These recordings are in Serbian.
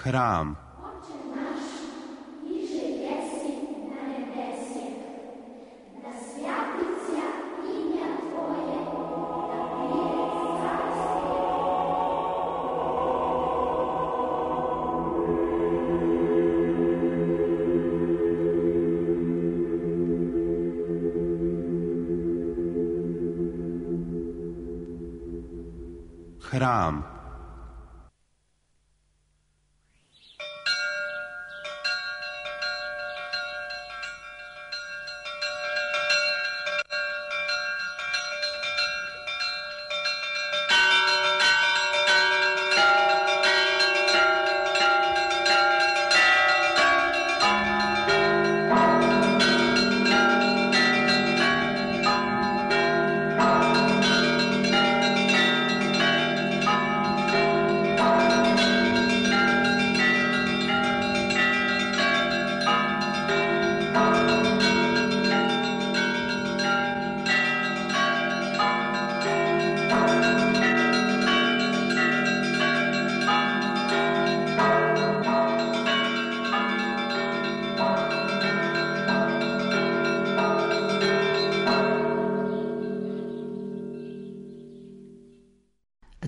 Hram. Hram.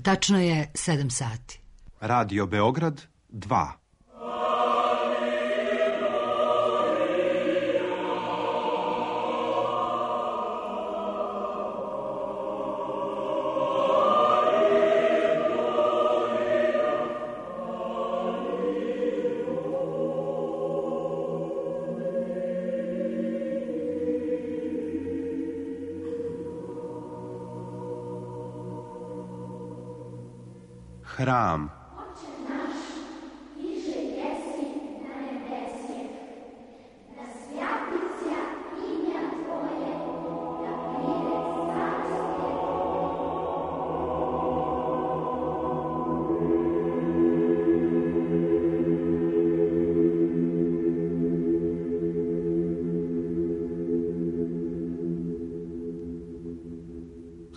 Tačno je 7 sati. Radio Beograd 2. Hram.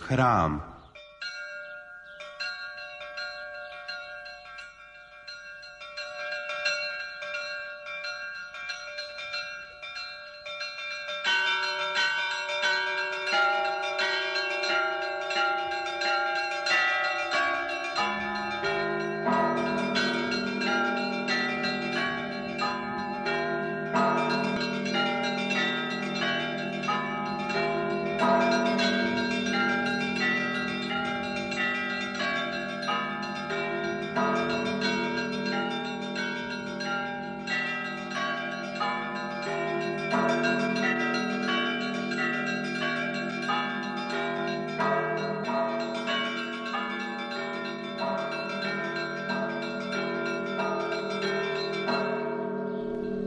Hram.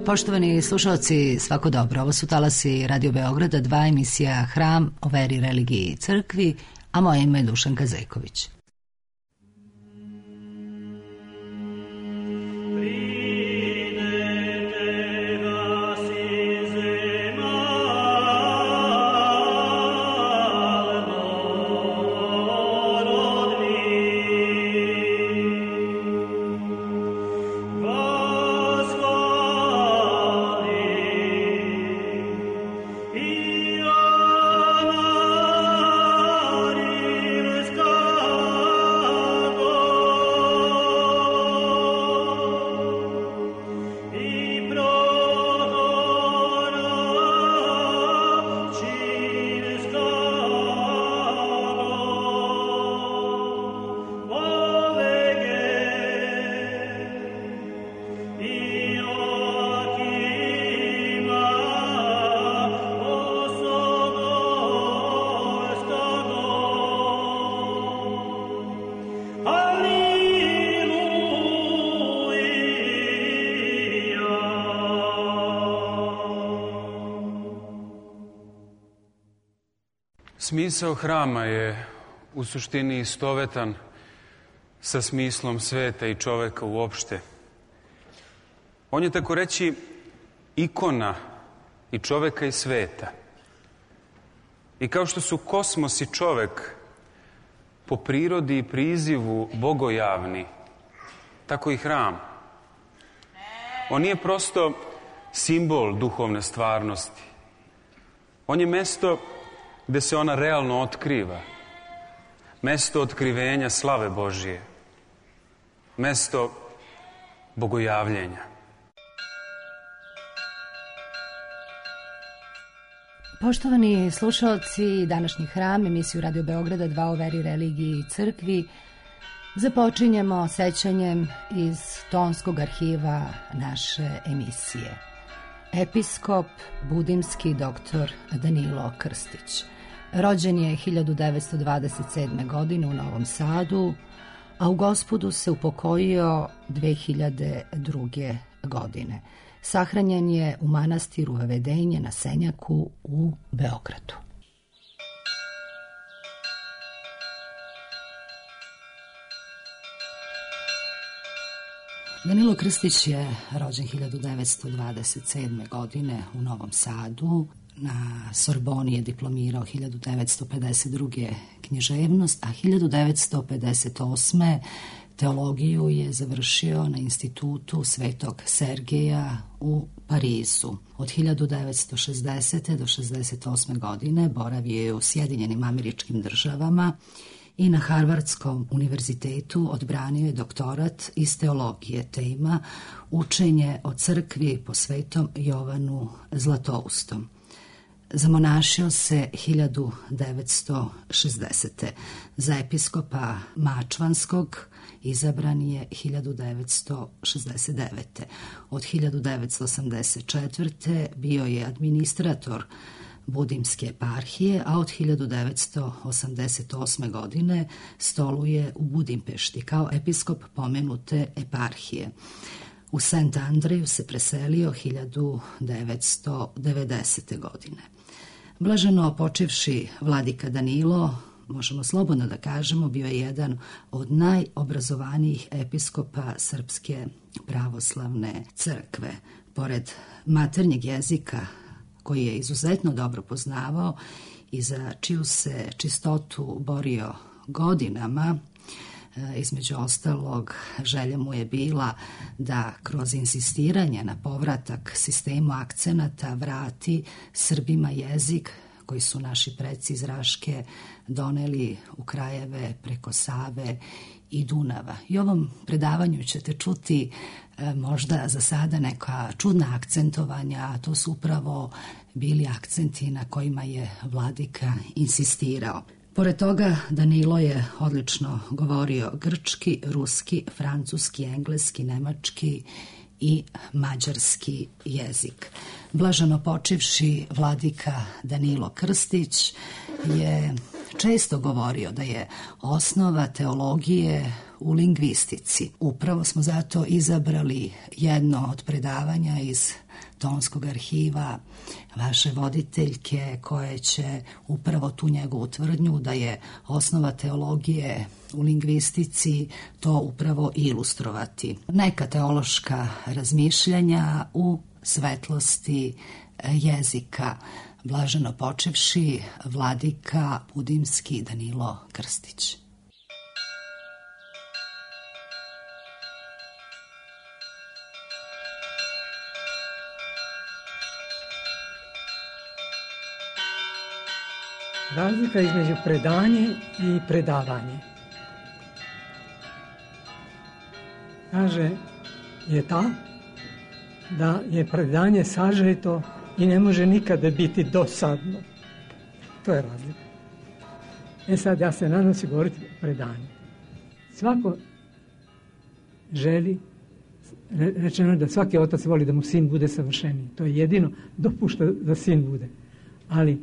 Poštovani slušalci, svako dobro. Ovo su talasi Radio Beograda 2, emisija Hram o veri, religiji i crkvi, a moje ime je Dušanka Zejković. Smisao hrama je u suštini istovetan sa smislom sveta i čoveka uopšte. On je tako reći ikona i čoveka i sveta. I kao što su kosmos i čovek po prirodi i prizivu bogojavni, tako i hram On nije prosto simbol duhovne stvarnosti. On je mesto gde se ona realno otkriva. Mesto otkrivenja slave Božije. Mesto bogojavljenja. Poštovani slušalci, današnji hram, emisiju Radio Beograda 2 o veri, religiji i crkvi, započinjemo sećanjem iz tonskog arhiva naše emisije. Episkop budimski dr. Danilo Krstić. Rođen je 1927. godine u Novom Sadu, a u Gospodu se upokojio 2002. godine. Sahranjen je u manastiru Vedenje na Senjaku u Beogradu. Danilo Krstić je rođen 1927. godine u Novom Sadu. Na Sorboni je diplomirao 1952. književnost, a 1958. teologiju je završio na institutu Svetog Sergeja u Parizu. Od 1960. do 1968. godine boravio je u Sjedinjenim Američkim Državama i na Harvardskom univerzitetu odbranio je doktorat iz teologije. Tema učenje o crkvi po svetom Jovanu Zlatoustom. Zamonašio se 1960. Za episkopa Mačvanskog izabran je 1969. Od 1984. bio je administrator Budimske eparhije, a od 1988. godine stoluje u Budimpešti kao episkop pomenute eparhije. U St. Andreju se preselio 1990. godine. Blaženo počivši vladika Danilo, možemo slobodno da kažemo, bio je jedan od najobrazovanijih episkopa Srpske pravoslavne crkve. Pored maternjeg jezika, koji je izuzetno dobro poznavao i za čiju se čistotu borio godinama, između ostalog, želja mu je bila da kroz insistiranje na povratak sistemu akcenata vrati Srbima jezik koji su naši preci iz Raške doneli u krajeve preko Save i Dunava. I ovom predavanju ćete čuti možda za sada neka čudna akcentovanja, a to su upravo bili akcenti na kojima je vladika insistirao. Pored toga, Danilo je odlično govorio grčki, ruski, francuski, engleski, nemački i mađarski jezik. Blaženo počivši vladika Danilo Krstić je često govorio da je osnova teologije u lingvistici. Upravo smo zato izabrali jedno od predavanja iz tonskog arhiva vaše voditeljke, koje će upravo tu njegovu tvrdnju da je osnova teologije u lingvistici to upravo ilustrovati. Neka teološka razmišljanja u svetlosti jezika. Blaženo počivši vladika budimski Danilo Krstić. Razlika između predanje i predavanje, kaže, je ta da je predanje sažeto i ne može nikada biti dosadno. To je razlika. Sad ja se nadam se govoriti o predanju. Svako želi, rečeno je da svaki otac voli da mu sin bude savršeniji. To je jedino dopušta da sin bude. Ali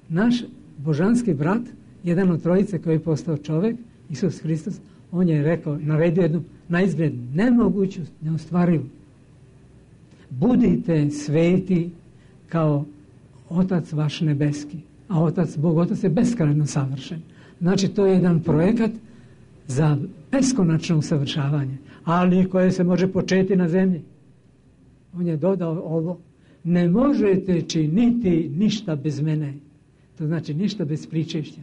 naš božanski brat, jedan od trojice koji je postao čovek, Isus Hristos, on je rekao, naredio jednu naizgled nemoguću, neostvarivu. Budite sveti kao Otac vaš nebeski. A Bog Otac je beskrajno savršen. Znači, to je jedan projekat za beskonačno usavršavanje, ali koje se može početi na zemlji. On je dodao ovo, ne možete činiti ništa bez mene. To znači ništa bez pričešća.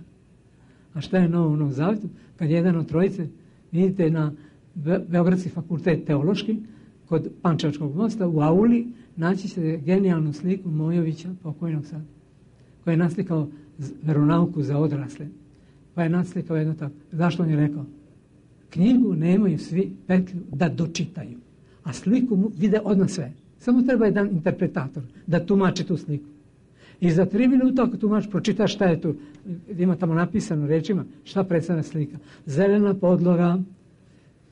A šta je novo u Novom Zavetu? Kad jedan od trojice, vidite na Beogradski fakultet teološki, kod Pančevačkog mosta u auli naći ćete genijalnu sliku Mojovića, pokojnog sad, koji je naslikao veronauku za odrasle. Pa je naslikao jedno tako. Zašto on je rekao? Knjigu nemaju svi petlju da dočitaju, a sliku mu vide odmah sve. Samo treba jedan interpretator da tumači tu sliku. I za 3 minuta ako tumač pročita šta je tu, ima tamo napisano rečima, šta predstavlja slika. Zelena podloga,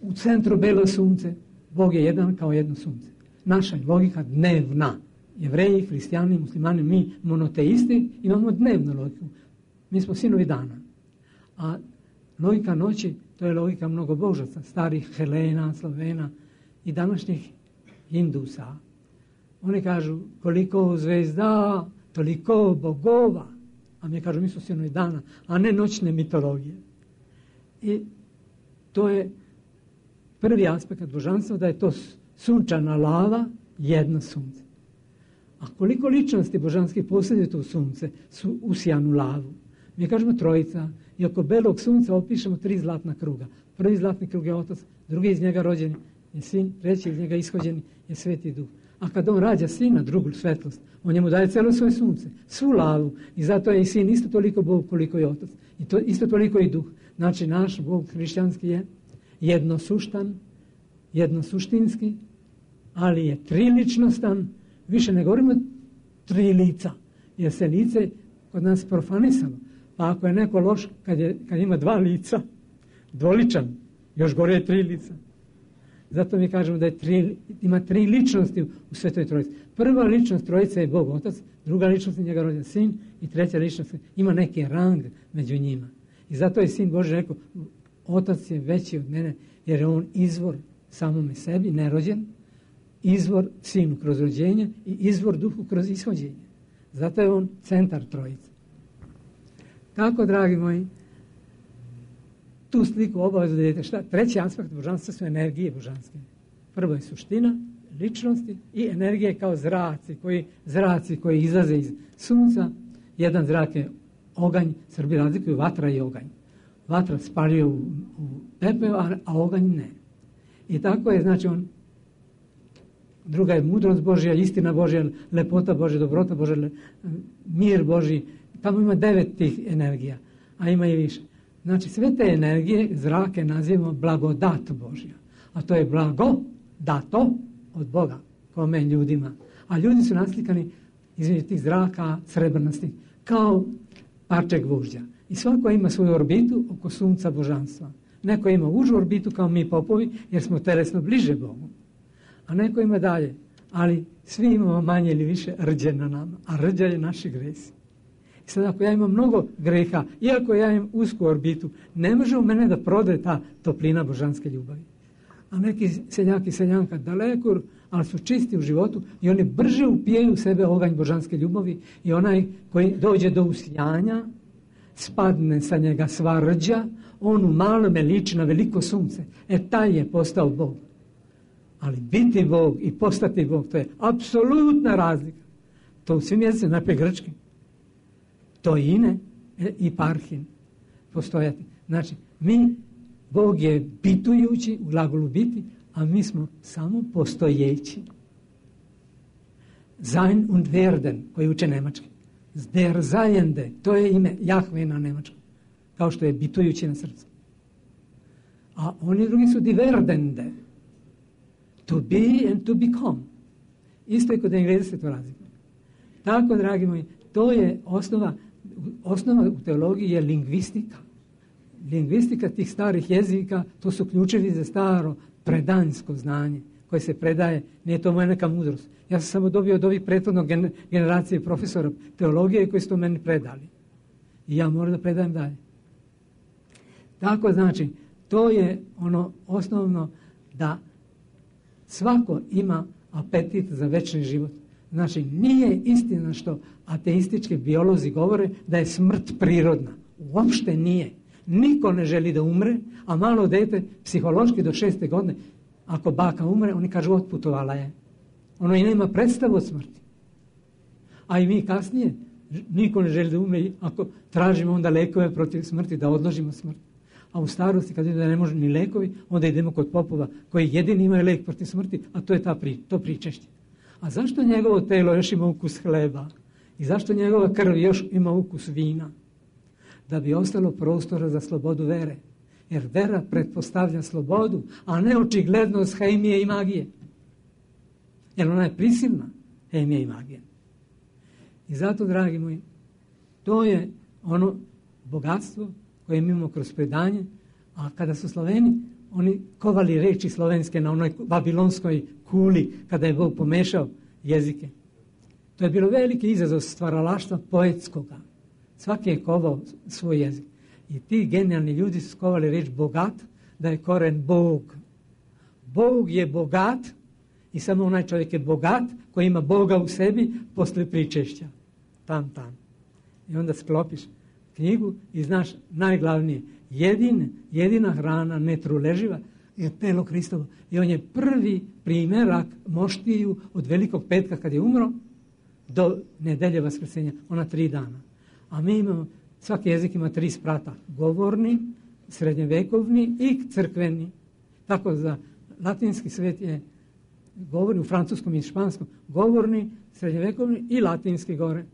u centru belo sunce, Bog je jedan kao jedno sunce. Naša logika dnevna. Jevreji, hrišćani, muslimani, mi monoteisti imamo dnevnu logiku. Mi smo sinovi dana. A logika noći, to je logika mnogobožaca, starih Helena, Slovena i današnjih Hindusa. Oni kažu koliko zvezda, toliko bogova. A mi kažu mi smo sinovi dana, a ne noćne mitologije. I to je prvi aspekt božanstva, da je to sunčana lava, jedno sunce. A koliko ličnosti božanskih posjeduje to sunce, su usijanu lavu. Mi kažemo trojica i oko belog sunca opišemo 3 zlatna kruga. Prvi zlatni krug je Otac, drugi iz njega rođeni je Sin, treći iz njega ishođeni je Sveti Duh. A kad on rađa Sina, drugu svetlost, on njemu daje cijelo svoje sunce, svu lavu. I zato je i Sin isto toliko Bog koliko je Otac. I to isto toliko i Duh. Znači naš Bog hrišćanski je jednosuštan, jednosuštinski, ali je triličnostan. Više ne govorimo 3 lica, jer se lice kod nas profanisalo. Pa ako je neko loš kad ima 2 lica, dvoličan, još gore je 3 lica. Zato mi kažemo da ima 3 ličnosti u Svetoj Trojici. Prva ličnost Trojice je Bog Otac, druga ličnost je njega rođen Sin i treća ličnost ima neki rang među njima. I zato je Sin Božji rekao, Otac je veći od mene, jer je on izvor samome sebi, nerođen, izvor Sinu kroz rođenje i izvor Duhu kroz ishođenje. Zato je on centar Trojice. Tako, dragi moji, tu sliku obavezno da vidite šta. Treći aspekt božanstva su energije božanske. Prvo je suština, ličnosti i energije kao zraci koji izlaze iz sunca. Jedan zrak je oganj, Srbi razlikuju vatra i oganj. Vatra spaljuje u pepeo, a oganj ne. I tako je, znači druga je mudrost Božja, istina Božja, lepota Božja, dobrota Božja, mir Božji. Tamo ima 9 tih energija, a ima i više. Znači sve te energije, zrake nazivamo blagodat Božja. A to je blago dato od Boga, kome ljudima. A ljudi su naslikani između tih zraka srebrnastih, kao parče gvožđa. I svako ima svoju orbitu oko sunca božanstva. Neko ima užu orbitu kao mi popovi, jer smo telesno bliže Bogu. A neko ima dalje. Ali svi imamo manje ili više rđe na nama. A rđa je naši gresi. I sad ako ja imam mnogo greha, iako ja imam usku orbitu, ne može u mene da prode ta toplina božanske ljubavi. A neki seljak i seljanka daleko, ali su čisti u životu i oni brže upijaju u sebe oganj božanske ljubavi i onaj koji dođe do usijanja, spadne sa njega sva rđa, on u malome liči na veliko sunce. Taj je postao Bog. Ali biti Bog i postati Bog, to je apsolutna razlika. To u svim jezicima, najprije grčki. To ine i parhin postojati. Znači, Bog je bitujući u glagolu biti, a mi smo samo postojeći. Sein und werden, koji uče nemački. Der Seiende, to je ime Jahve na nemačkom, kao što je bitujući na srcu. A oni drugi su die Werdende. To be and to become. Isto je kod Engleza se to razlikuje. Tako, dragi moji, to je osnova u teologiji je lingvistika. Lingvistika tih starih jezika, to su ključevi za staro predanjsko znanje koje se predaje, nije to moja neka mudrost. Ja sam samo dobio od ovih prethodnog generacije profesora teologije koji su to meni predali. I ja moram da predajem dalje. Tako znači, to je ono osnovno da svako ima apetit za večni život. Znači, nije istina što ateistički biolozi govore da je smrt prirodna. Uopšte nije. Niko ne želi da umre, a malo dete psihološki do 6. godine, ako baka umre, oni kažu otputovala je. Ono i nema predstavu od smrti. A i mi kasnije, niko ne želi da umre, ako tražimo onda lekove protiv smrti, da odložimo smrt. A u starosti, kad vidim da ne može ni lekovi, onda idemo kod popova koji jedini imaju lek protiv smrti, a to je to pričešće. A zašto njegovo telo još ima ukus hleba? I zašto njegova krv još ima ukus vina? Da bi ostalo prostora za slobodu vere. Jer vera pretpostavlja slobodu, a ne očiglednost hemije i magije. Jer ona je prisilna, hemija i magija. I zato, dragi moji, to je ono bogatstvo koje imamo kroz predanje, a kada su Sloveni, oni kovali reči slovenske na onoj babilonskoj kuli, kada je Bog pomešao jezike. To je bilo veliki izazov stvaralaštva poetskoga. Svaki je kovao svoj jezik. I ti genijalni ljudi su skovali reč bogat, da je koren Bog. Bog je bogat i samo onaj čovjek je bogat koji ima Boga u sebi posle pričešća. Tam. I onda sklopiš knjigu i znaš najglavnije. Jedina hrana netruleživa je telo Hristovo. I on je prvi primjerak moštiju od Velikog petka kad je umro do nedelje Vaskrsenja. Ona 3 dana. A mi imamo, svaki jezik ima 3 sprata. Govorni, srednjevekovni i crkveni. Tako za latinski svet je govorni, u francuskom i španskom, govorni, srednjevekovni i latinski gore.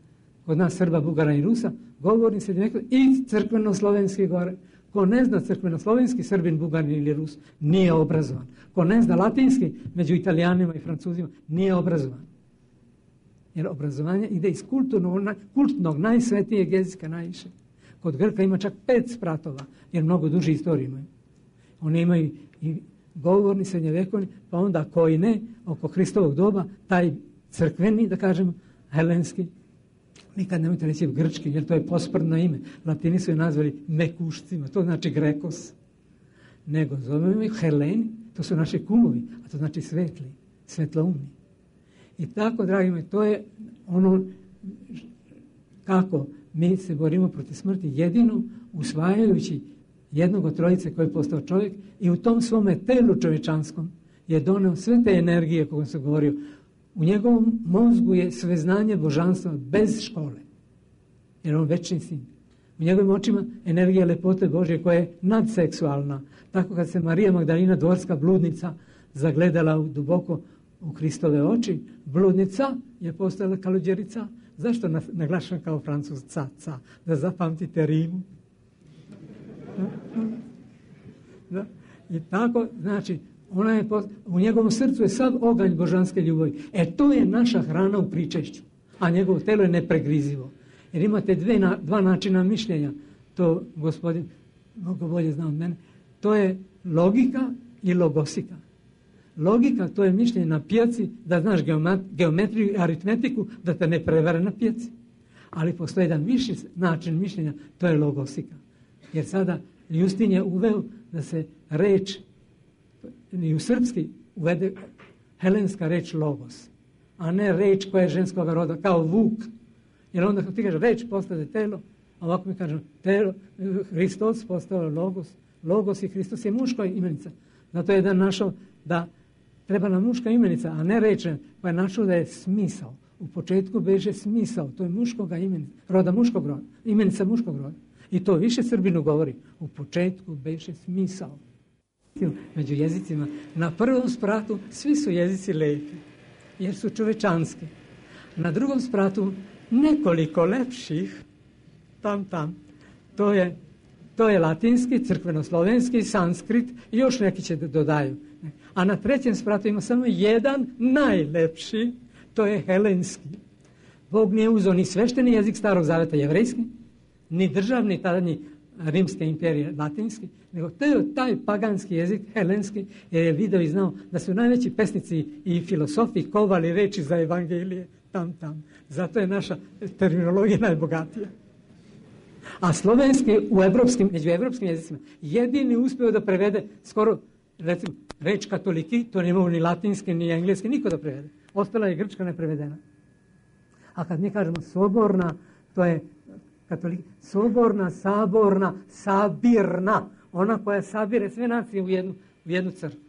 Kod nas Srba, Bugara i Rusa, govorni, srednjevekovni i crkveno-slovenski gore. Ko ne zna crkveno-slovenski, Srbin, Bugarin ili Rus, nije obrazovan. Ko ne zna latinski, među Italijanima i Francuzima, nije obrazovan. Jer obrazovanje ide iz kultnog najsvetijeg jezika najviše. Kod Grka ima čak 5 spratova, jer mnogo duži istoriju imaju. Oni imaju i govorni, srednjevekovni, pa onda koji ne, oko Hristovog doba, taj crkveni, da kažemo, helenski, nikad nemojte reći grčki, jer to je posprdno ime. Latini su je nazvali mekušcima, to znači Grekos. Nego zovemo ih Heleni, to su naši kumovi, a to znači svetli, svetloumni. I tako, dragi moji, to je ono kako mi se borimo protiv smrti, jedino usvajajući jednog od trojice koji je postao čovjek i u tom svome telu čovječanskom je doneo sve te energije koje sam govorio. U njegovom mozgu je sveznanje božanstva bez škole, jer on večni sin. U njegovim očima energija lepote Božje koja je nadseksualna. Tako kad se Marija Magdalina, dvorska bludnica, zagledala duboko u Hristove oči, bludnica je postala kaluđerica. Zašto naglašam kao Francuz ca, da zapamtite rimu? Da. I tako, znači, u njegovom srcu je sav oganj božanske ljubavi. To je naša hrana u pričešću, a njegovo telo je nepregrizivo. Jer imate dva načina mišljenja, to gospodin mnogo bolje zna od mene, to je logika i logosika. Logika, to je mišljenje na pijaci, da znaš geometriju i aritmetiku, da te ne prevare na pijaci. Ali postoji jedan viši način mišljenja, to je logosika. Jer sada Justin je uveo da se reč, i u srpski uvede helenska reč logos, a ne reč koja je ženskog roda, kao vuk. Jer onda kad ti kaže reč postade telo, a ovako mi kažemo telo, Hristos postao logos, logos i Hristos je muška imenica. Zato je jedan našao da treba nam muška imenica, a ne reč, pa je našao da je smisao. U početku beže smisao, to je muškoga imenica, roda muškog roda, imenica muškog roda. I to više Srbinu govori. U početku beše smisao. Među jezicima, na prvom spratu svi su jezici lepi, jer su čovečanski. Na drugom spratu nekoliko lepših, tam. To je latinski, crkveno-slovenski, sanskrit i još neki će da dodaju. A na trećem spratu ima samo jedan najlepši, to je helenski. Bog nije uzeo ni svešteni jezik Starog Zaveta jevrejski, ni državni tadašnji Rimske imperije latinski, nego taj paganski jezik, helenski, jer je video i znao da su najveći pesnici i filosofi kovali reči za evangelije tam. Zato je naša terminologija najbogatija. A slovenski među evropskim jezicima jedini uspio da prevede skoro, recimo, reč katoliki, to ne mogu ni latinski, ni engleski, niko da prevede. Ostala je grčka neprevedena. A kad mi kažemo soborna, to je katoliki, soborna, saborna, sabirna, ona koja sabire sve nacije u jednu crkvu.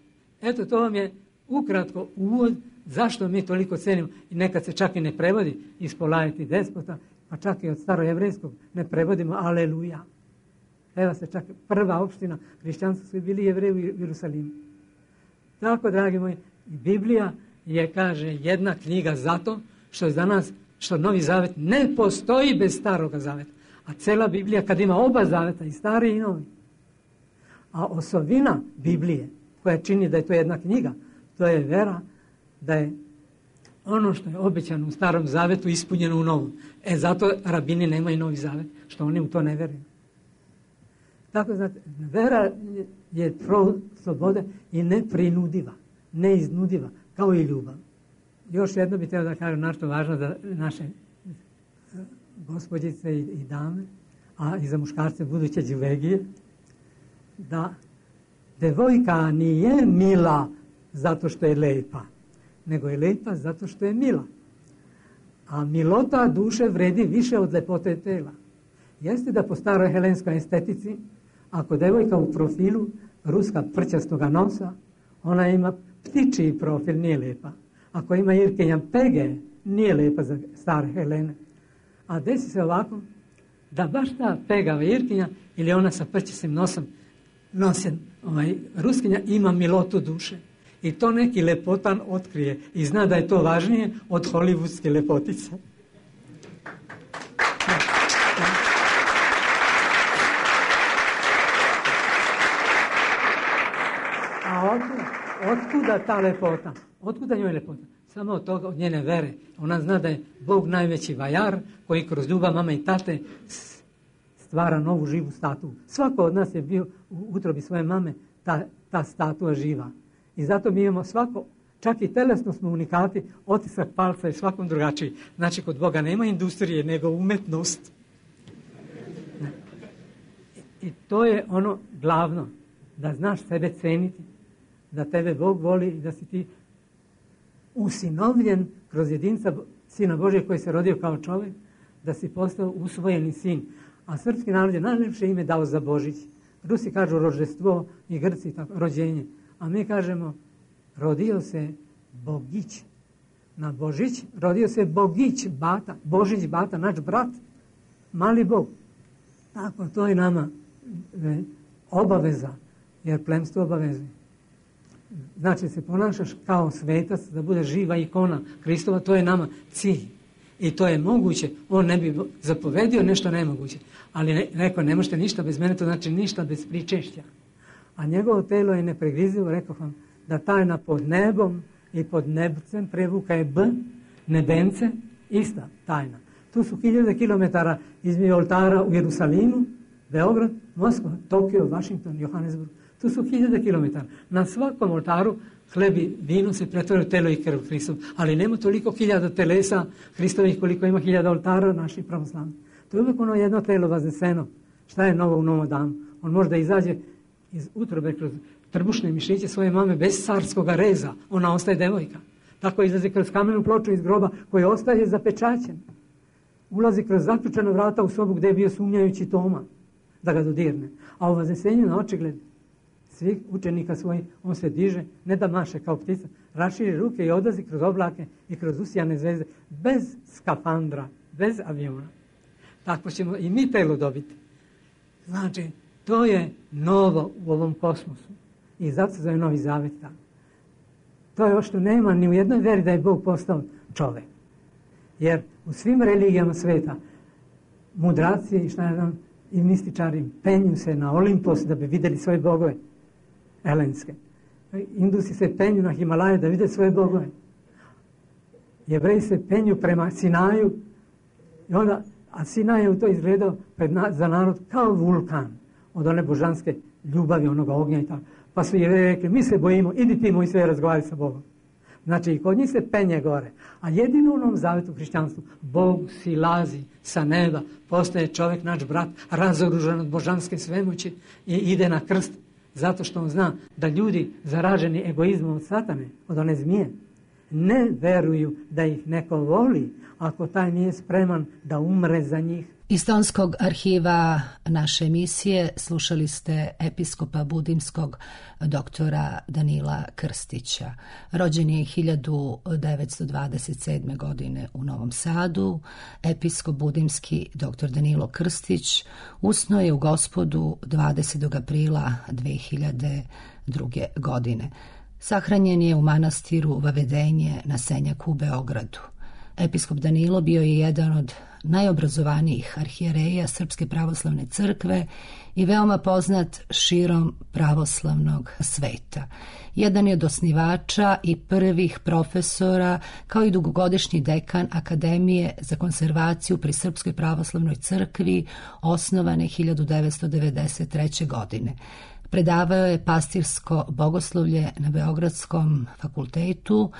Eto, to vam je ukratko uvod zašto mi toliko cenimo i nekad se čak i ne prevodi iz Polajeti despota, pa čak i od starojevrejskog ne prevodimo aleluja. Evo se čak prva opština hrišćanstva su bili Jevreji u Jerusalimu. Tako, dragi moji, Biblija je, kaže, jedna knjiga zato što je za nas, što Novi Zavet ne postoji bez Staroga Zaveta. A cela Biblija kad ima oba zaveta, i stari i novi. A osobina Biblije koja čini da je to jedna knjiga, to je vera da je ono što je obećano u Starom Zavetu ispunjeno u Novom. Zato rabini nemaju Novi Zavet, što oni u to ne veruju. Tako, znate, vera je slobode i neprinudiva, neiznudiva, kao i ljubav. Još jedno bih htio da kažem nešto važno za naše gospođice i dame, a i za muškarce buduće đuvegije, da devojka nije mila zato što je lepa, nego je lepa zato što je mila. A milota duše vredi više od lepote tela. Jeste da po staroj helenskoj estetici, ako devojka u profilu ruska prćastoga nosa, ona ima ptičiji profil, nije lepa. Ako ima Irkinja pege, nije lepa za stare Helene. A desi se ovako, da baš ta pegava Irkinja ili ona sa prćastim nosom nosen ruskinja ima milotu duše. I to neki lepotan otkrije i zna da je to važnije od hollywoodske lepotice. A otkuda ta lepota? Otkuda njoj lepota? Samo od toga, od njene vere. Ona zna da je Bog najveći vajar koji kroz ljubav mame i tate stvara novu živu statu. Svako od nas je bio u utrobi svoje mame ta statua živa. I zato mi imamo svako, čak i telesno smo unikati, otisak palca je svakom drugačiji. Znači, kod Boga nema industrije, nego umetnost. I to je ono glavno, da znaš sebe ceniti, da tebe Bog voli i da si ti usinovljen kroz jedinca Sina Božijeg koji se rodio kao čovjek, da si postao usvojeni sin. A srpski narod je najlepše ime dao za Božić. Rusi kažu rođenstvo i Grci tako, rođenje. A mi kažemo, rodio se Bogić. Na Božić rodio se Bogić, bata, Božić, bata, naš brat, mali Bog. Tako, to je nama obaveza, jer plemstvo obavezuje. Znači, se ponašaš kao svetac, da bude živa ikona Hristova, to je nama cilj. I to je moguće, on ne bi zapovedio nešto nemoguće. Ali rekao, ne možete ništa bez mene, to znači ništa bez pričešća. A njegovo telo je nepregrizivo, rekao vam, da tajna pod nebom i pod nebcem, prevuka je B, nebence, ista tajna. Tu su 1000 kilometara između oltara u Jerusalimu, Beograd, Moskva, Tokio, Washington, Johannesburg. Tu su 1000 kilometara. Na svakom oltaru hleb i vino se pretvore u telo i krv Hristov. Ali nema toliko 1000 telesa Hristovih koliko ima 1000 oltara naših pravoslavnih. To je uvijek ono jedno telo vazneseno. Šta je novo u novom danu? On može da izađe iz utrobe kroz trbušne mišiće svoje mame bez carskog reza. Ona ostaje devojka. Tako izlazi kroz kamenu ploču iz groba koji ostaje zapečaćen. Ulazi kroz zaključana vrata u sobu gdje je bio sumnjajući Toma da ga dodirne. A u vaznesenju na očigled svih učenika svojih, on se diže, ne da maše kao ptica, raširi ruke i odlazi kroz oblake i kroz usijane zvezde, bez skafandra, bez aviona. Tako ćemo i mi telo dobiti. Znači, to je novo u ovom kosmosu. I zato se zove Novi Zavet tako. To je ovo što nema ni u jednoj veri da je Bog postao čovjek. Jer u svim religijama sveta mudraci i šta je znam, i mističari penju se na Olimpos da bi vidjeli svoje bogove elenske. Indusi se penju na Himalaje da vide svoje bogove. Jevreji se penju prema Sinaju i onda, a Sinaj je u to izgledao za narod kao vulkan od one božanske ljubavi, onoga ognja i tako. Pa su Jevreji rekli, mi se bojimo, idi ti moj sve razgovarati sa Bogom. Znači i kod njih se penje gore. A jedino u Novom Zavetu hrišćanstvu Bog silazi sa neba, postaje čovjek, naš brat, razoružan od božanske svemoći i ide na krst. Zato što on zna da ljudi zaraženi egoizmom od satane, od one zmije, ne veruju da ih neko voli ako taj nije spreman da umre za njih. Iz tonskog arhiva naše emisije slušali ste episkopa budimskog doktora Danila Krstića. Rođen je 1927. godine u Novom Sadu. Episkop budimski doktor Danilo Krstić usnuo je u Gospodu 20. aprila 2002. godine. Sahranjen je u manastiru Vavedenje na Senjaku u Beogradu. Episkop Danilo bio je jedan od najobrazovanijih arhijereja Srpske pravoslavne crkve i veoma poznat širom pravoslavnog sveta. Jedan je od osnivača i prvih profesora, kao i dugogodišnji dekan Akademije za konzervaciju pri Srpskoj pravoslavnoj crkvi, osnovane 1993. godine. Predavao je pastirsko bogoslovlje na Beogradskom fakultetu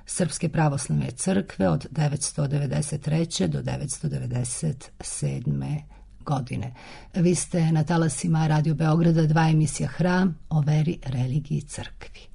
Srpske pravoslavne crkve od 1993. do 1997. godine. Vi ste na talasima Radio Beograda 2 emisija Hram o veri, religiji i crkvi.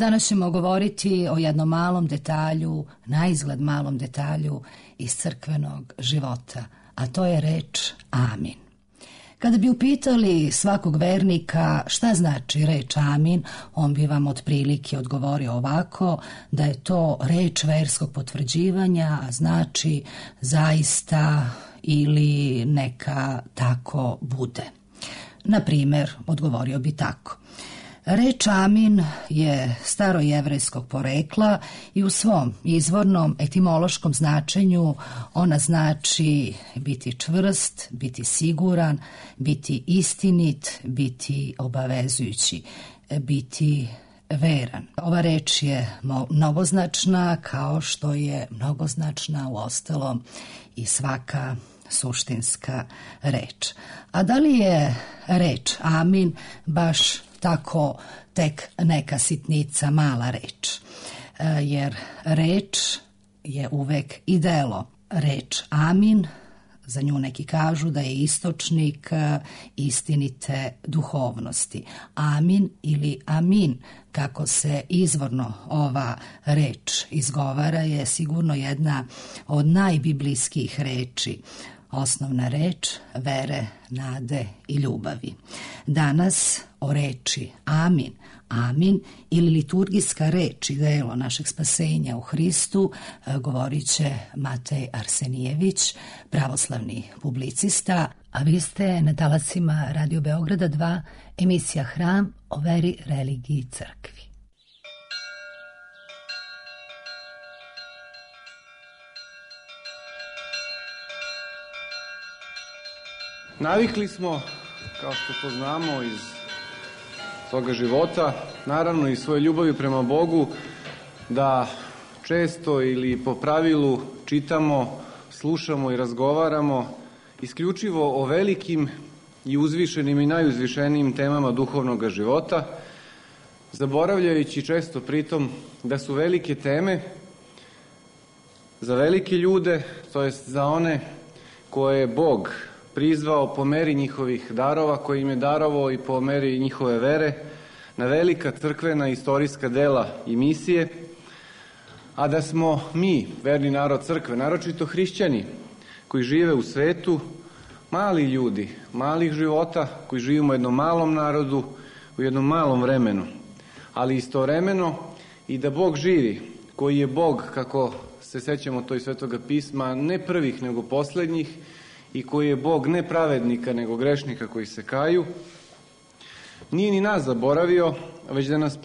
Danas ćemo govoriti o jednom malom detalju, naizgled malom detalju iz crkvenog života, a to je reč amin. Kada bi upitali svakog vernika šta znači reč amin, on bi vam otprilike odgovorio ovako, da je to reč verskog potvrđivanja, a znači zaista ili neka tako bude. Na primjer, odgovorio bi tako. Reč amin je starojevrejskog porekla i u svom izvornom etimološkom značenju ona znači biti čvrst, biti siguran, biti istinit, biti obavezujući, biti veran. Ova reč je mnogoznačna kao što je mnogoznačna uostalom i svaka suštinska reč. A da li je reč amin baš tako tek neka sitnica, mala reč? Jer reč je uvek i delo. Reč amin, za nju neki kažu da je istočnik istinite duhovnosti. Amin ili amin, kako se izvorno ova reč izgovara, je sigurno jedna od najbiblijskih reči. Osnovna reč vere, nade i ljubavi. Danas o reči amin, amin ili liturgijska reč i delo našeg spasenja u Hristu govorit će Matej Arsenijević, pravoslavni publicista, a vi ste na talasima Radio Beograda 2, emisija Hram o veri, religiji i crkvi. Navikli smo, kao što to znamo iz svoga života, naravno i svoje ljubavi prema Bogu, da često ili po pravilu čitamo, slušamo i razgovaramo isključivo o velikim i uzvišenim i najuzvišenijim temama duhovnog života, zaboravljajući često pritom da su velike teme za velike ljude, to jest za one koje je Bog prizvao po meri njihovih darova, koji im je darovao i po meri njihove vere, na velika crkvena istorijska dela i misije, a da smo mi, verni narod crkve, naročito hrišćani, koji žive u svetu, mali ljudi, malih života, koji živimo u jednom malom narodu, u jednom malom vremenu, ali istovremeno i da Bog živi, koji je Bog, kako se sećamo to iz Svetoga pisma, ne prvih nego poslednjih, i koji je Bog ne pravednika nego grešnika koji se kaju, nije ni nas zaboravio, već da nas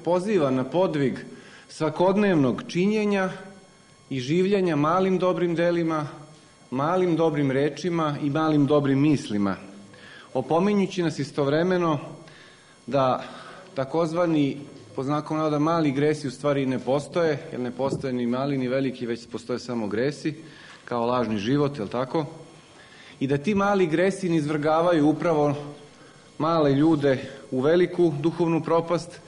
poziva na podvig svakodnevnog činjenja i življenja malim dobrim delima, malim dobrim rečima i malim dobrim mislima, opominjući nas istovremeno da takozvani, po znakom navoda, mali gresi u stvari ne postoje, jer ne postoje ni mali ni veliki, već postoje samo gresi, kao lažni život, je li tako? I da ti mali gresi ne izvrgavaju upravo male ljude u veliku duhovnu propast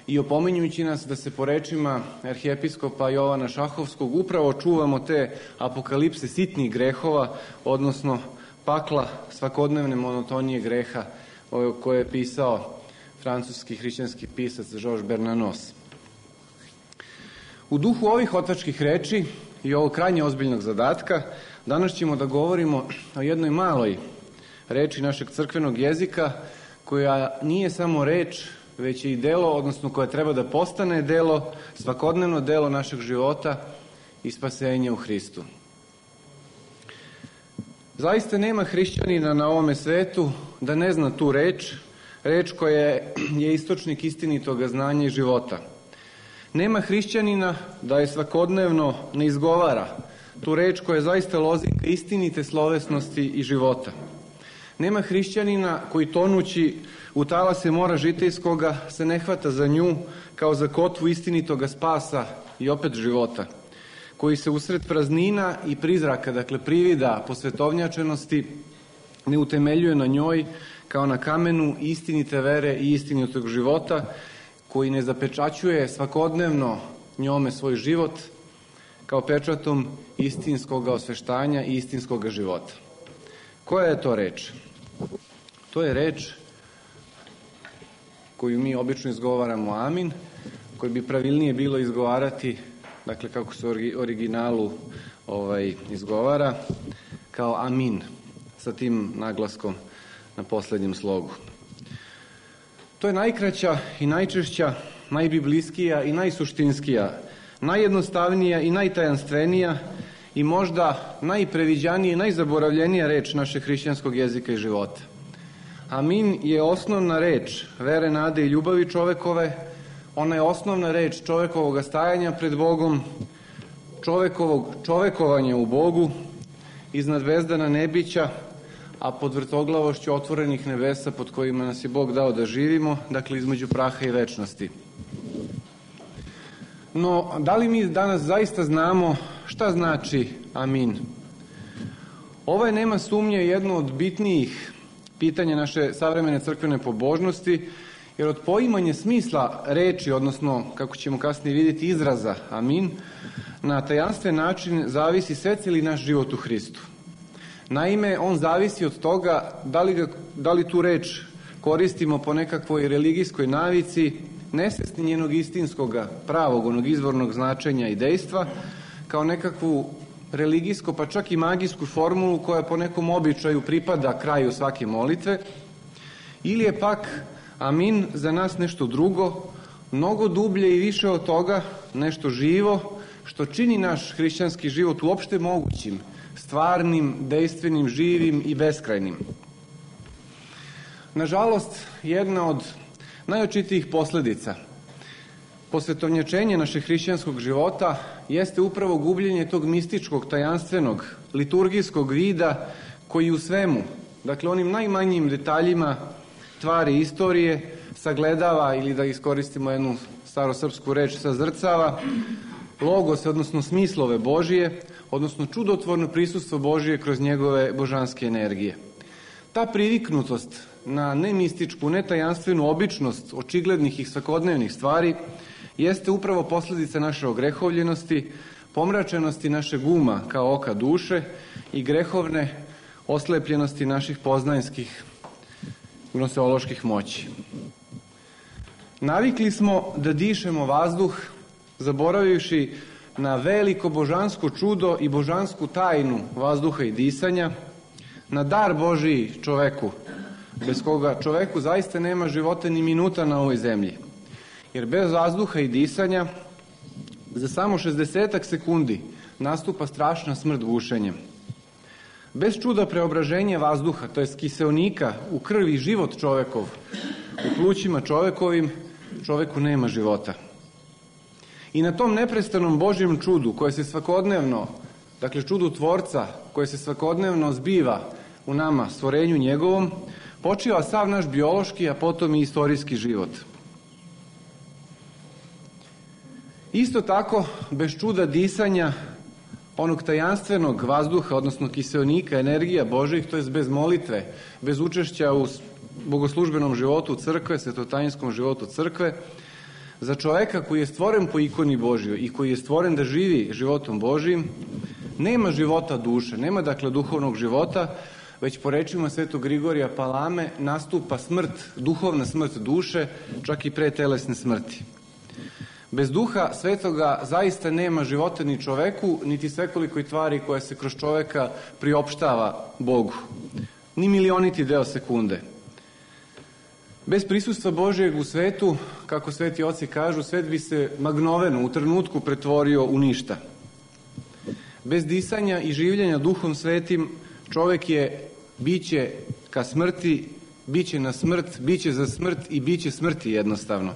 i opominjući nas da se po rečima arhijepiskopa Jovana Šahovskog upravo čuvamo te apokalipse sitnih grehova, odnosno pakla svakodnevne monotonije greha koje je pisao francuski hrišćanski pisac Georges Bernanos. U duhu ovih otačkih reči i ovog krajnje ozbiljnog zadatka danas ćemo da govorimo o jednoj maloj reči našeg crkvenog jezika, koja nije samo reč, već je i delo, odnosno koja treba da postane delo, svakodnevno delo našeg života i spasenja u Hristu. Zaista nema hrišćanina na ovome svetu da ne zna tu reč, reč koja je istočnik istinitoga znanja i života. Nema hrišćanina da je svakodnevno ne izgovara tu reč koja je zaista lozinka istinite slovesnosti i života. Nema hrišćanina koji tonući u talase mora žitejskoga se ne hvata za nju kao za kotvu istinitoga spasa i opet života, koji se usred praznina i prizraka, dakle privida posvetovnjačenosti, ne utemeljuje na njoj kao na kamenu istinite vere i istinitog života, koji ne zapečaćuje svakodnevno njome svoj život kao pečatom istinskog osveštanja i istinskog života. Koja je to reč? To je reč koju mi obično izgovaramo amin, koju bi pravilnije bilo izgovarati, dakle kako se u originalu izgovara, kao amin, sa tim naglaskom na poslednjem slogu. To je najkraća i najčešća, najbiblijskija i najsuštinskija, najjednostavnija i najtajanstvenija i možda najpreviđanija i najzaboravljenija reč našeg hrišćanskog jezika i života. Amin je osnovna reč vere, nade i ljubavi čovekove. Ona je osnovna reč čovekovog stajanja pred Bogom, čovekovog čovekovanja u Bogu, iznad vezdana nebića, a pod vrtoglavošću otvorenih nebesa pod kojima nas je Bog dao da živimo, dakle između praha i večnosti. No, da li mi danas zaista znamo šta znači amin? Ovo je, nema sumnje, jedno od bitnijih pitanja naše savremene crkvene pobožnosti, jer od poimanja smisla reči, odnosno, kako ćemo kasnije vidjeti, izraza amin, na tajanstven način zavisi svecili naš život u Hristu. Naime, on zavisi od toga da li tu reč koristimo po nekakvoj religijskoj navici, nesvesni njenog istinskog, pravog, onog izvornog značenja i dejstva, kao nekakvu religijsko, pa čak i magijsku formulu koja po nekom običaju pripada kraju svake molitve, ili je pak amin za nas nešto drugo, mnogo dublje i više od toga, nešto živo, što čini naš hrišćanski život uopšte mogućim, stvarnim, dejstvenim, živim i beskrajnim. Nažalost, jedna od najočitijih posledica posvetovnjačenja našeg hrišćanskog života jeste upravo gubljenje tog mističkog, tajanstvenog, liturgijskog vida koji u svemu, dakle onim najmanjim detaljima tvari istorije, sagledava, ili da iskoristimo jednu starosrpsku reč, sazrcava logos, odnosno smislove Božije, odnosno čudotvorno prisustvo Božije kroz njegove božanske energije. Ta priviknutost na nemističku, netajanstvenu običnost očiglednih i svakodnevnih stvari jeste upravo posljedica naše ogrehovljenosti, pomračenosti našeg uma kao oka duše i grehovne oslepljenosti naših poznanjskih gnoseoloških moći. Navikli smo da dišemo vazduh, zaboravivši na veliko božansko čudo i božansku tajnu vazduha i disanja, na dar Božiji čoveku, bez koga čoveku zaista nema života ni minuta na ovoj zemlji. Jer bez vazduha i disanja za samo 60 sekundi nastupa strašna smrt gušenjem. Bez čuda preobraženja vazduha, to jest kiseonika u krvi život čovekov, u plućima čovekovim, čoveku nema života. I na tom neprestanom Božjem čudu koje se svakodnevno, dakle čudu Tvorca koje se svakodnevno zbiva u nama, stvorenju njegovom, počiva sav naš biološki, a potom i istorijski život. Isto tako, bez čuda disanja, onog tajanstvenog vazduha, odnosno kiseonika, energija Božih, to je bez molitve, bez učešća u bogoslužbenom životu crkve, svetotajinskom životu crkve, za čoveka koji je stvoren po ikoni Božjoj i koji je stvoren da živi životom Božijim, nema života duše, nema dakle duhovnog života, već po rečima svetog Grigorija Palame nastupa smrt, duhovna smrt duše, čak i pre telesne smrti. Bez duha svetoga zaista nema života ni čoveku, niti svekolikoj tvari koja se kroz čoveka priopštava Bogu. Ni milioniti deo sekunde. Bez prisustva Božijeg u svetu, kako sveti oci kažu, svet bi se magnoveno u trenutku pretvorio u ništa. Bez disanja i življenja duhom svetim, čovek je biće ka smrti, biće na smrt, biće za smrt i biće smrti jednostavno.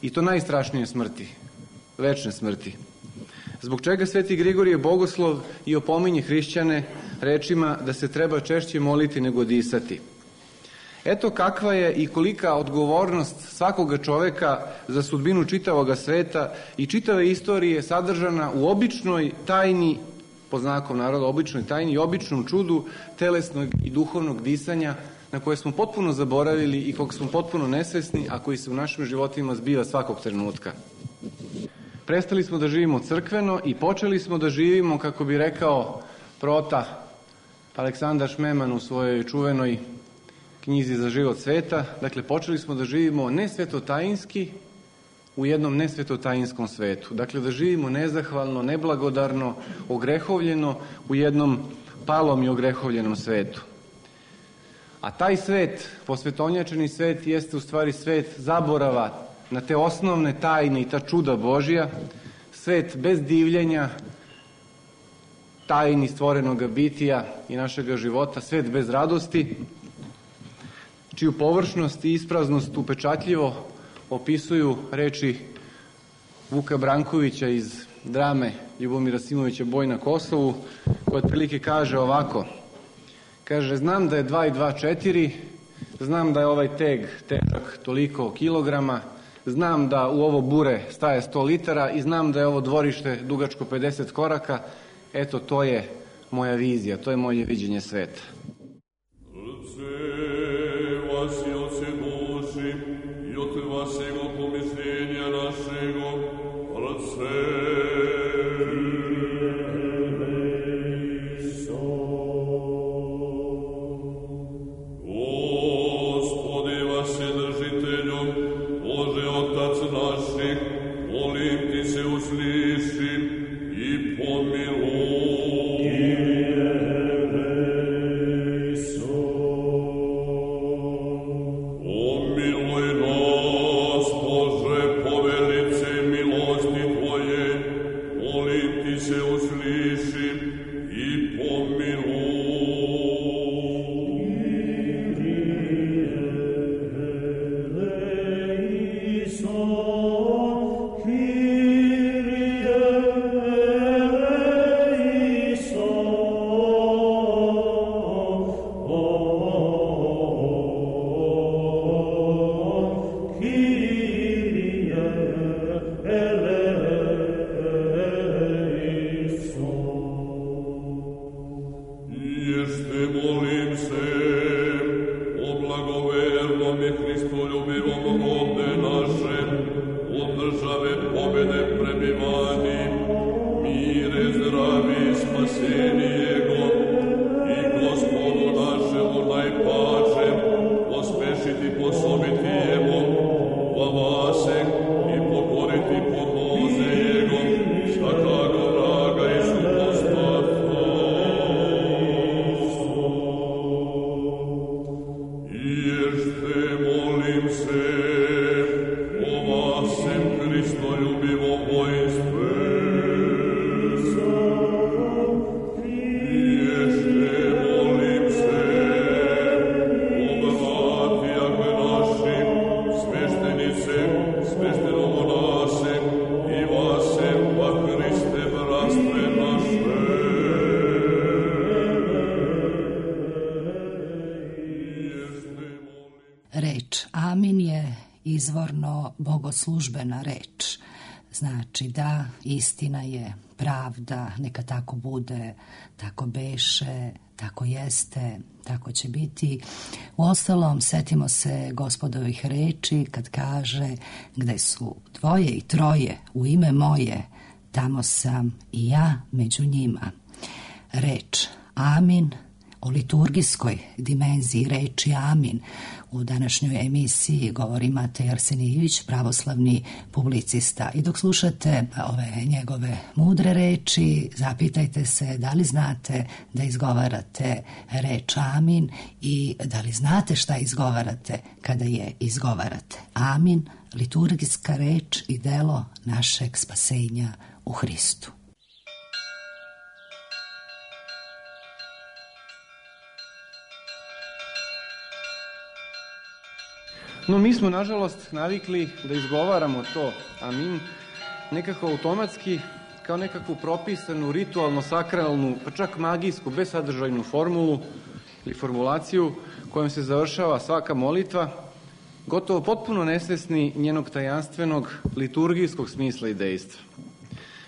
I to najstrašnije smrti, večne smrti. Zbog čega sveti Grigorije Bogoslov i opominje hrišćane rečima da se treba češće moliti nego disati. Eto kakva je i kolika odgovornost svakoga čoveka za sudbinu čitavoga sveta i čitave istorije sadržana u običnoj tajni, po znakom naroda, običnoj tajni i običnom čudu telesnog i duhovnog disanja na koje smo potpuno zaboravili i kog smo potpuno nesvesni, a koji se u našim životima zbiva svakog trenutka. Prestali smo da živimo crkveno i počeli smo da živimo, kako bi rekao prota Aleksandar Šmeman u svojoj čuvenoj knjizi za život sveta, dakle počeli smo da živimo nesvetotajinski u jednom nesvetotajinskom svetu. Dakle da živimo nezahvalno, neblagodarno, ogrehovljeno u jednom palom i ogrehovljenom svetu. A taj svet, posvetonjačeni svet, jeste u stvari svet zaborava na te osnovne tajne i ta čuda Božja, svet bez divljenja, tajni stvorenoga bitija i našega života, svet bez radosti, čiju površnost i ispraznost upečatljivo opisuju reči Vuka Brankovića iz drame Ljubomira Simovića Boj na Kosovu, koja otprilike kaže ovako. Kaže, znam da je 2 i 2 4, znam da je ovaj teg težak toliko kilograma, znam da u ovo bure staje 100 litara i znam da je ovo dvorište dugačko 50 koraka. Eto, to je moja vizija, to je moje viđenje sveta. Reč amin je izvorno bogoslužbena reč. Znači da istina je, pravda, neka tako bude, tako beše, tako jeste, tako će biti. Uostalom, setimo se Gospodovih reči kad kaže gde su 2 i 3 u ime moje, tamo sam i ja među njima. Reč amin, o liturgijskoj dimenziji reči amin u današnjoj emisiji govori Matej Arsenijević, pravoslavni publicista. I dok slušate ove njegove mudre reči, zapitajte se da li znate da izgovarate reč amin i da li znate šta izgovarate kada je izgovarate. Amin, liturgijska reč i delo našeg spasenja u Hristu. No, mi smo, nažalost, navikli da izgovaramo to amin nekako automatski, kao nekakvu propisanu, ritualno, sakralnu, pa čak magijsku, besadržajnu formulu ili formulaciju kojom se završava svaka molitva, gotovo potpuno nesvesni njenog tajanstvenog liturgijskog smisla i dejstva.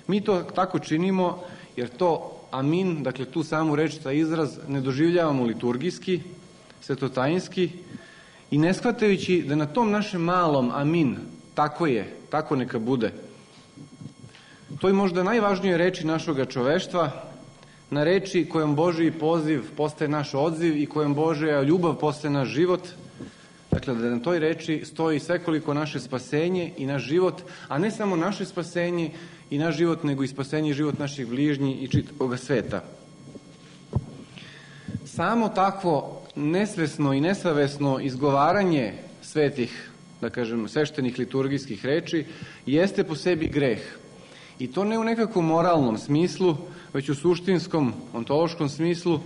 Mi to tako činimo jer to amin, dakle tu samu reč, taj izraz, ne doživljavamo liturgijski, svetotajinski, i ne shvatajući da na tom našem malom amin, tako je, tako neka bude, to je možda najvažnije reči našoga čoveštva, na reči kojom Božji poziv postaje naš odziv i kojom Božja ljubav postaje naš život, dakle da na toj reči stoji svekoliko naše spasenje i naš život, a ne samo naše spasenje i naš život, nego i spasenje i život naših bližnjih i čitavog sveta. Samo takvo nesvesno i nesavesno izgovaranje svetih, da kažem, sveštenih liturgijskih reči, jeste po sebi greh. I to ne u nekakvom moralnom smislu, već u suštinskom, ontološkom smislu,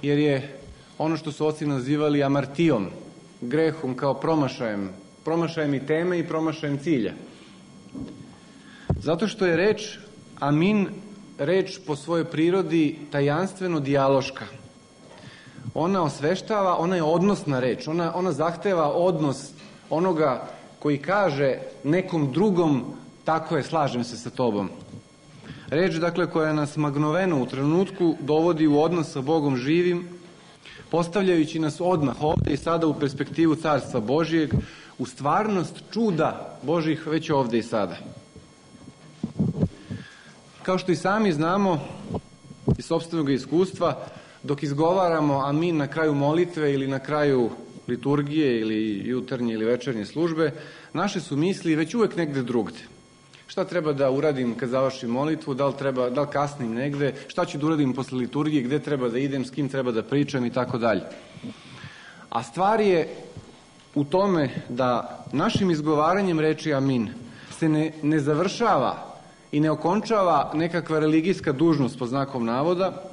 jer je ono što su oci nazivali amartijom, grehom kao promašajem i teme i promašajem cilja. Zato što je reč amin reč po svojoj prirodi tajanstveno dijaloška. Ona osveštava, ona je odnosna reč, ona zahteva odnos onoga koji kaže nekom drugom tako je, slažem se sa tobom. Reč, dakle, koja nas magnoveno u trenutku dovodi u odnos sa Bogom živim, postavljajući nas odmah ovde i sada u perspektivu Carstva Božijeg, u stvarnost čuda Božih već ovde i sada. Kao što i sami znamo iz sopstvenog iskustva, dok izgovaramo amin na kraju molitve ili na kraju liturgije ili jutarnje ili večernje službe, naše su misli već uvek negde drugde. Šta treba da uradim kad završim molitvu, da li kasnim negde, šta ću da uradim posle liturgije, gde treba da idem, s kim treba da pričam i tako dalje. A stvar je u tome da našim izgovaranjem reči amin se ne završava i ne okončava nekakva religijska dužnost po znakom navoda,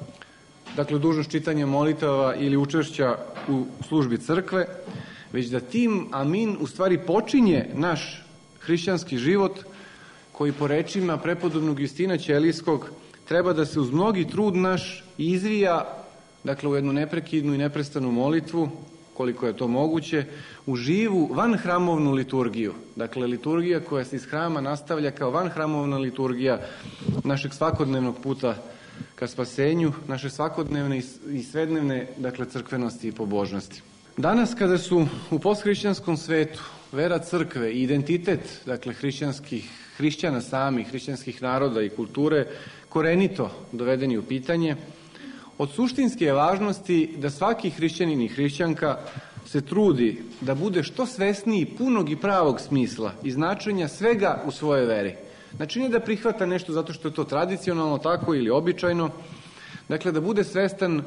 dakle dužnost čitanja molitava ili učešća u službi crkve, već da tim amin u stvari počinje naš hrišćanski život koji po rečima prepodobnog Justina Ćelijskog treba da se uz mnogi trud naš izvija, dakle u jednu neprekidnu i neprestanu molitvu, koliko je to moguće, u živu vanhramovnu liturgiju. Dakle, liturgija koja se iz hrama nastavlja kao vanhramovna liturgija našeg svakodnevnog puta ka spasenju, naše svakodnevne i svednevne, dakle, crkvenosti i pobožnosti. Danas kada su u posthrišćanskom svetu vera crkve i identitet, dakle, hrišćana samih, hrišćanskih naroda i kulture, korenito dovedeni u pitanje, od suštinske je važnosti da svaki hrišćanin i hrišćanka se trudi da bude što svesniji punog i pravog smisla i značenja svega u svojoj veri. Znači, ne da prihvata nešto zato što je to tradicionalno tako ili običajno, dakle da bude svestan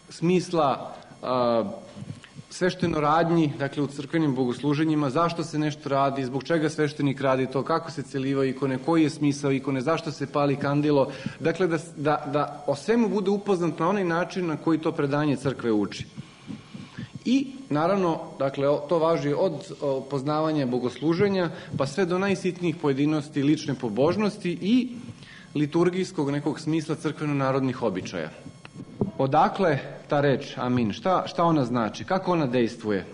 smisla svešteno radnji, dakle u crkvenim bogosluženjima, zašto se nešto radi, zbog čega sveštenik radi to, kako se celivaju ikone, koji je smisao ikone, zašto se pali kandilo, dakle da o svemu bude upoznat na onaj način na koji to predanje crkve uči. I, naravno, dakle, to važi od poznavanja bogosluženja, pa sve do najsitnijih pojedinosti lične pobožnosti i liturgijskog nekog smisla crkveno-narodnih običaja. Odakle ta reč amin? Šta ona znači? Kako ona dejstvuje?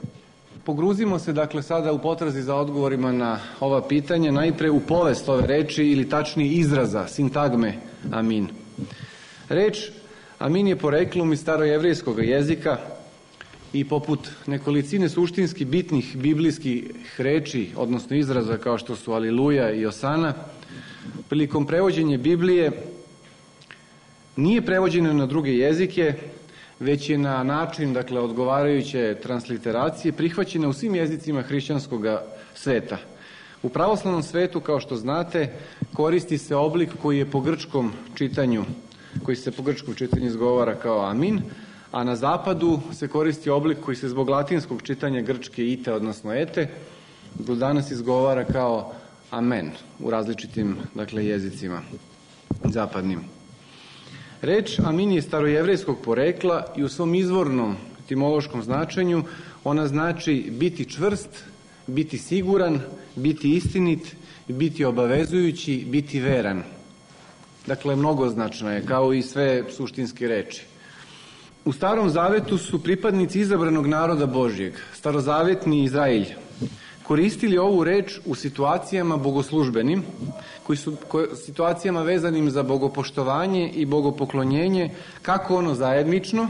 Pogruzimo se, dakle, sada u potrazi za odgovorima na ova pitanja, najpre u povest ove reči ili tačnije izraza, sintagme amin. Reč amin je poreklom iz starojevrejskog jezika i poput nekolicine suštinski bitnih biblijskih reči, odnosno izraza kao što su aliluja i osana, prilikom prevođenja Biblije nije prevođeno na druge jezike, već je na način, dakle, odgovarajuće transliteracije prihvaćena u svim jezicima hrišćanskog sveta. U pravoslavnom svetu, kao što znate, koristi se oblik koji je po grčkom čitanju, izgovara kao amin, a na zapadu se koristi oblik koji se zbog latinskog čitanja grčke ite, odnosno ete, do danas izgovara kao amen u različitim, dakle, jezicima zapadnim. Reč amin je starojevrejskog porekla i u svom izvornom etimološkom značenju ona znači biti čvrst, biti siguran, biti istinit, biti obavezujući, biti veran. Dakle, mnogoznačna je, kao i sve suštinske reči. U Starom Zavetu su pripadnici izabranog naroda Božjeg, starozavetni Izraelj, koristili ovu reč u situacijama bogoslužbenim, situacijama vezanim za bogopoštovanje i bogopoklonjenje, kako ono zajednično,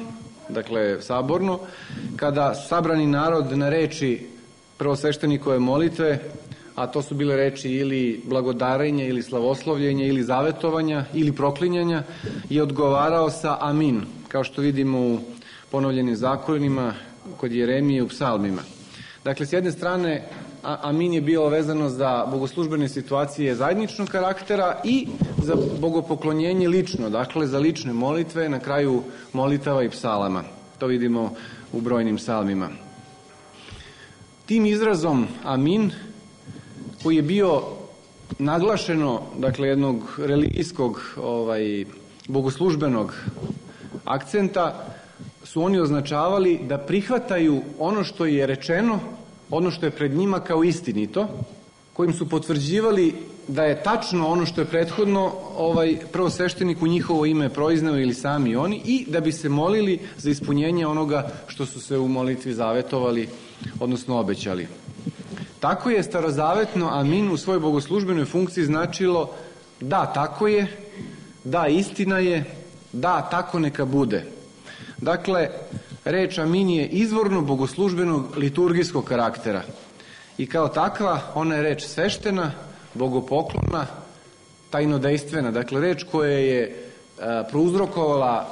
dakle saborno, kada sabrani narod na reči prvosveštenikove molitve, a to su bile reči ili blagodarenja, ili slavoslovljenja, ili zavetovanja, ili proklinjanja, je odgovarao sa amin, kao što vidimo u ponovljenim zakonima, kod Jeremije u psalmima. Dakle, s jedne strane, amin je bilo vezano za bogoslužbene situacije zajedničnog karaktera i za bogopoklonjenje lično, dakle za lične molitve na kraju molitava i psalama. To vidimo u brojnim psalmima. Tim izrazom amin, koji je bio naglašeno, dakle, jednog religijskog bogoslužbenog akcenta, su oni označavali da prihvataju ono što je rečeno, ono što je pred njima kao istinito, kojim su potvrđivali da je tačno ono što je prethodno prvosveštenik u njihovo ime proizneo ili sami oni, i da bi se molili za ispunjenje onoga što su se u molitvi zavetovali, odnosno obećali. Tako je starozavetno amin u svojoj bogoslužbenoj funkciji značilo da, tako je, da, istina je, da, tako neka bude. Dakle, reč amin je izvorno bogoslužbenog liturgijskog karaktera i kao takva ona je reč sveštena, bogopoklona, tajnodejstvena. Dakle, reč koja je prouzrokovala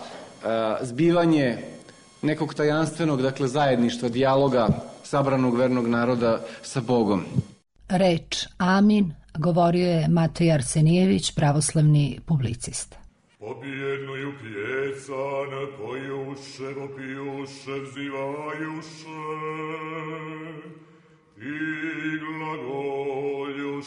zbivanje nekog tajanstvenog, dakle, zajedništva, dijaloga sabranog vernog naroda sa Bogom. Reč amin govorio je Matej Arsenijević, pravoslavni publicista. Pobjednuju pjecan, pojuše, vopijuše, vzivajuše i glagoljuše.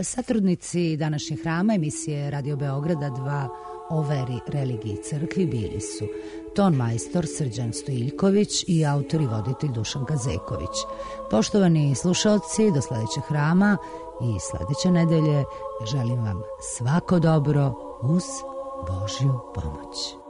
Satrudnici današnjeg hrama emisije Radio Beograda 2 o veri, religiji i crkvi bili su ton majstor Srđan Stojiljković i autor i voditelj Dušan Kazeković. Poštovani slušaoci, do sledećeg hrama i sledeće nedelje želim vam svako dobro uz Božju pomoć.